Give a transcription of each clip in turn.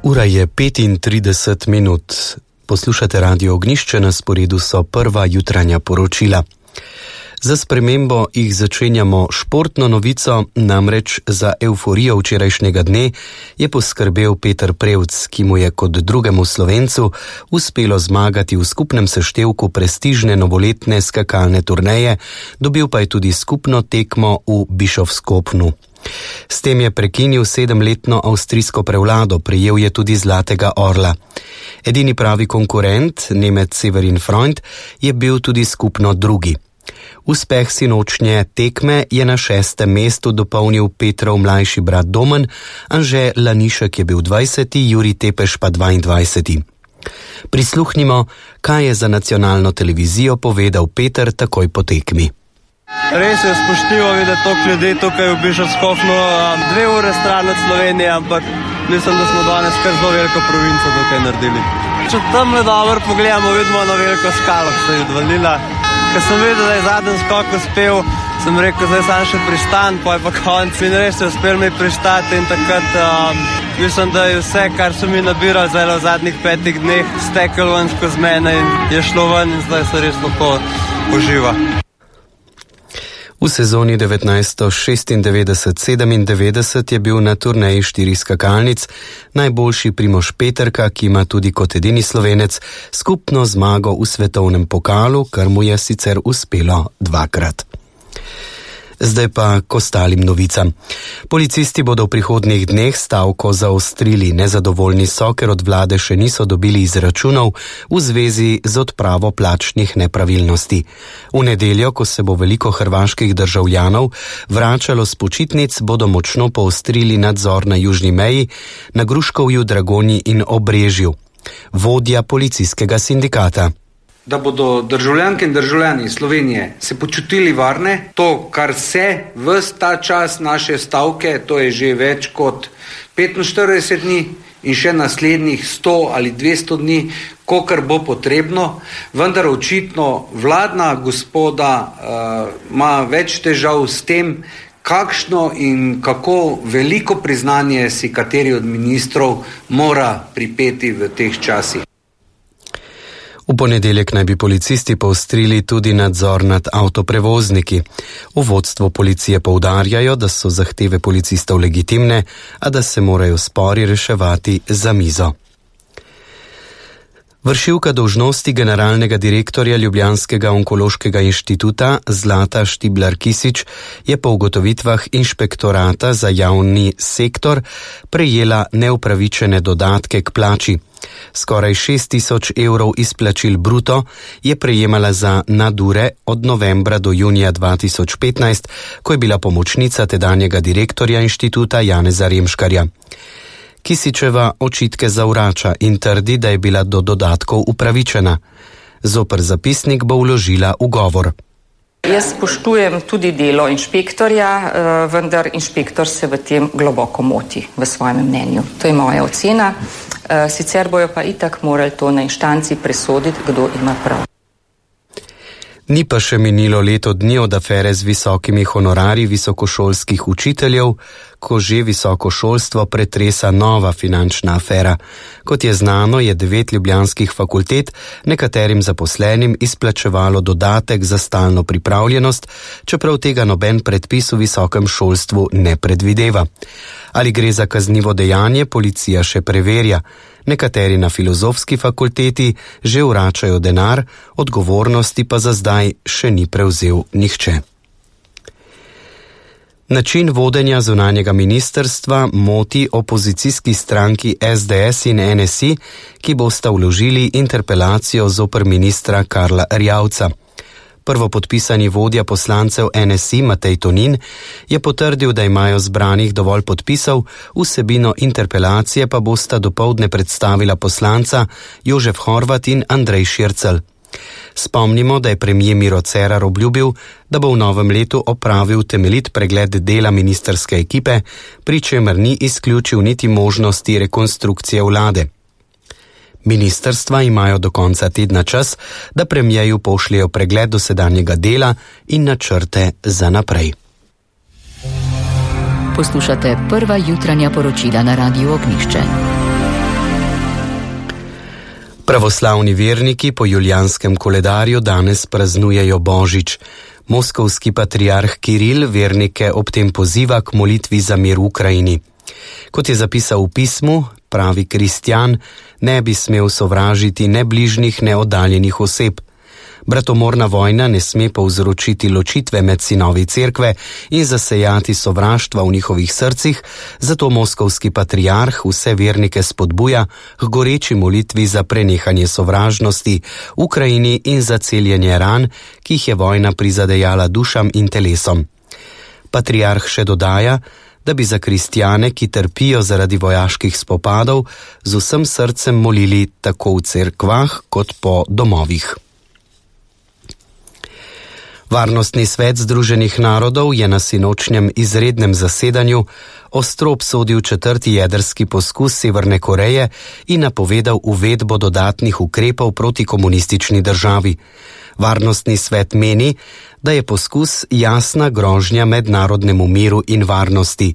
Ura je 35 minut. Poslušate Radio Ognjišče, na sporedu so prva jutranja poročila. Za spremembo jih začenjamo športno novico, namreč za evforijo včerajšnjega dne je poskrbel Peter Prevc, ki mu je kot drugemu Slovencu uspelo zmagati v skupnem seštevku prestižne novoletne skakalne turneje, dobil pa je tudi skupno tekmo v Bischofskopnu. S tem je prekinil 7-letno avstrijsko prevlado, prejel je tudi zlatega orla. Edini pravi konkurent, Nemec Severin Freund, je bil tudi skupno drugi. Uspeh sinočnje tekme je na 6. mestu dopolnil Petrov mlajši brat Domen, Anže Lanišek je bil 20., Jurij Tepeš pa 22. Prisluhnimo, kaj je za nacionalno televizijo povedal Peter takoj po tekmi. Res je spoštljivo videti toliko ljudi tukaj v Bischofskopnu, 2 ure stran od Slovenije, ampak mislim, da smo danes kar zelo veliko provinco tukaj naredili. Če tamle dobro pogledamo, vidimo eno veliko skalo, ki se je odvalila. Ko sem videl, da je zadnji skok uspel, sem rekel, zdaj sam še pristan, pa je pa konc in res je uspel mi pristati in takrat mislim, da je vse, kar so mi nabirali zdaj v zadnjih 5 dneh, stekel ven skozi mene in je šlo ven in zdaj se res lahko uživa. V sezoni 1996-97 je bil na turneji 4 skakalnic najboljši Primož Peterka, ki ima tudi kot edini Slovenec skupno zmago v svetovnem pokalu, kar mu je sicer uspelo 2-krat. Zdaj pa k ostalim novicam. Policisti bodo v prihodnjih dneh stavko zaostrili. Nezadovoljni so, ker od vlade še niso dobili izračunov v zvezi z odpravo plačnih nepravilnosti. V nedeljo, ko se bo veliko hrvaških državljanov vračalo s počitnic, bodo močno poostrili nadzor na južni meji, na Gruškovju, Dragonji in Obrežju. Vodja policijskega sindikata. Da bodo državljanke in državljani Slovenije se počutili varne, to, kar se ves ta čas naše stavke, to je že več kot 45 dni in še naslednjih 100 ali 200 dni, kolikor bo potrebno, vendar očitno vladna gospoda ima več težav s tem, kakšno in kako veliko priznanje si kateri od ministrov mora pripeti v teh časih. V ponedeljek naj bi policisti poostrili tudi nadzor nad avtoprevozniki. V vodstvu policije poudarjajo, da so zahteve policistov legitimne, a da se morajo spori reševati za mizo. Vršilka dolžnosti generalnega direktorja Ljubljanskega onkološkega inštituta Zlata Štiblar-Kisič je po ugotovitvah inšpektorata za javni sektor prejela neupravičene dodatke k plači. Skoraj 6.000 evrov izplačil bruto je prejemala za nadure od novembra do junija 2015, ko je bila pomočnica tedanjega direktorja inštituta Janeza Remškarja. Kisičeva očitke zavrača in trdi, da je bila do dodatkov upravičena. Zoper zapisnik bo vložila ugovor. Jaz spoštujem tudi delo inšpektorja, vendar inšpektor se v tem globoko moti v svojem mnenju. To je moja ocena, sicer bojo pa itak morali to na inštanci presoditi, kdo ima prav. Ni pa še minilo leto dni od afere z visokimi honorarji visokošolskih učiteljev, ko že visoko šolstvo pretresa nova finančna afera. Kot je znano, je 9 ljubljanskih fakultet nekaterim zaposlenim izplačevalo dodatek za stalno pripravljenost, čeprav tega noben predpis v visokem šolstvu ne predvideva. Ali gre za kaznivo dejanje, policija še preverja. Nekateri na filozofski fakulteti že vračajo denar, odgovornosti pa za zdaj še ni prevzel nihče. Način vodenja zunanjega ministrstva moti opozicijski stranki SDS in NSI, ki bosta vložili interpelacijo zoper ministra Karla Erjavca. Prvopodpisani vodja poslancev NSI Matej Tonin je potrdil, da imajo zbranih dovolj podpisov, vsebino interpelacije pa bosta dopoldne predstavila poslanca Jožef Horvat in Andrej Šircelj. Spomnimo, da je premier Miro Cerar obljubil, da bo v novem letu opravil temeljit pregled dela ministrske ekipe, pri čemer ni izključil niti možnosti rekonstrukcije vlade. Ministrstva imajo do konca tedna čas, da premierju pošljejo pregled dosedanjega dela in načrte za naprej. Poslušate prva jutranja poročila na Radiu Ognjišče. Pravoslavni verniki po julijanskem koledarju danes praznujejo Božič. Moskovski patriarh Kiril vernike ob tem poziva k molitvi za mir v Ukrajini. Kot je zapisal v pismu, pravi kristjan ne bi smel sovražiti ne bližnjih, ne oddaljenih oseb. Bratomorna vojna ne sme povzročiti ločitve med sinovi cerkve in zasejati sovraštva v njihovih srcih, zato moskovski patriarh vse vernike spodbuja k goreči molitvi za prenehanje sovražnosti v Ukrajini in za celjenje ran, ki jih je vojna prizadejala dušam in telesom. Patriarh še dodaja, da bi za kristjane, ki trpijo zaradi vojaških spopadov, z vsem srcem molili tako v cerkvah kot po domovih. Varnostni svet Združenih narodov je na sinočnjem izrednem zasedanju ostro obsodil 4. jedrski poskus Severne Koreje in napovedal uvedbo dodatnih ukrepov proti komunistični državi. Varnostni svet meni, da je poskus jasna grožnja mednarodnemu miru in varnosti.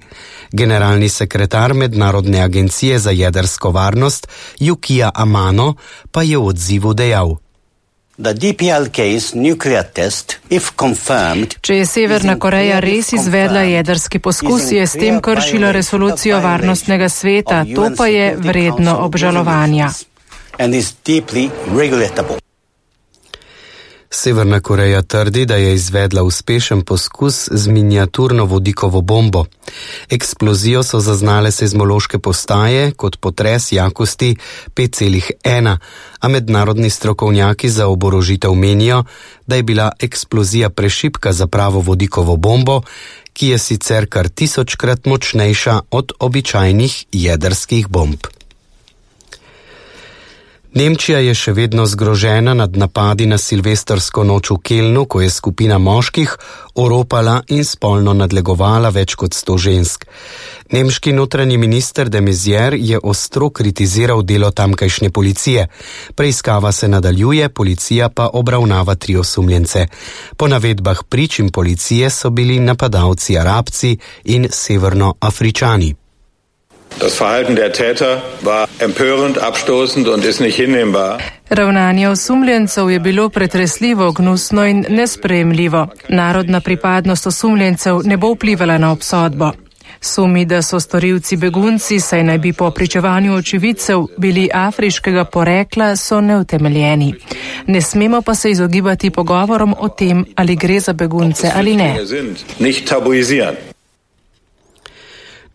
Generalni sekretar Mednarodne agencije za jedrsko varnost Yukio Amano pa je v odzivu dejal: Če je Severna Koreja res izvedla jedrski poskus, je s tem kršila resolucijo Varnostnega sveta, to pa je vredno obžalovanja. Severna Koreja trdi, da je izvedla uspešen poskus z miniaturno vodikovo bombo. Eksplozijo so zaznale seizmološke postaje kot potres jakosti 5,1, a mednarodni strokovnjaki za oborožitev menijo, da je bila eksplozija prešibka za pravo vodikovo bombo, ki je sicer kar 1000-krat močnejša od običajnih jedrskih bomb. Nemčija je še vedno zgrožena nad napadi na silvestrsko noč v Kelnu, ko je skupina moških oropala in spolno nadlegovala več kot 100 žensk. Nemški notranji minister de Maizière je ostro kritiziral delo tamkajšnje policije. Preiskava se nadaljuje, policija pa obravnava 3 osumljence. Po navedbah prič in policije so bili napadalci Arabci in Severnoafričani. Das Verhalten der Täter war empörend, abstoßend und ist nicht hinnehmbar. Ravnanje osumljencev je bilo pretresljivo, gnusno in nesprejemljivo. Narodna pripadnost osumljencev ne bo vplivala na obsodbo. Sumi, da so storilci begunci, saj naj bi po pričevanju očividcev bili afriškega porekla, so neutemeljeni. Ne smemo pa se izogibati pogovorom o tem, ali gre za begunce ali ne.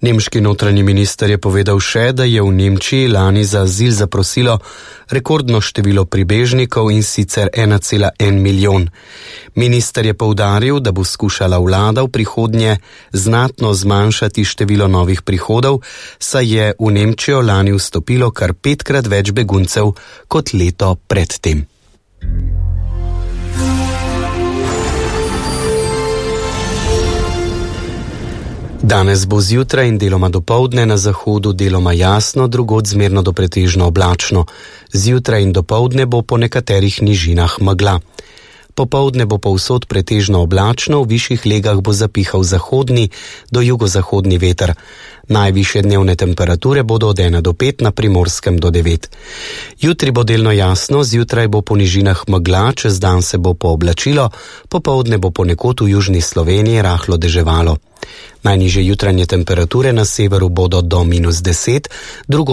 Nemški notranji minister je povedal še, da je v Nemčiji lani za azil zaprosilo rekordno število pribežnikov in sicer 1,1 milijon. Minister je poudaril, da bo skušala vlada v prihodnje znatno zmanjšati število novih prihodov, saj je v Nemčijo lani vstopilo kar 5-krat več beguncev kot leto predtem. Danes bo zjutraj in deloma dopoldne na zahodu deloma jasno, drugod zmerno do pretežno oblačno. Zjutraj in dopoldne bo po nekaterih nižinah megla. Popoldne bo povsod pretežno oblačno, v višjih legah bo zapihal zahodni do jugozahodni veter. Najvišje dnevne temperature bodo od 1 do 5, na Primorskem do 9. Jutri bo delno jasno, zjutraj bo po nižinah megla, čez dan se bo pooblačilo, popoldne bo ponekod v južni Sloveniji rahlo deževalo. Najnižje jutranje temperature na severu bodo do -10, drugod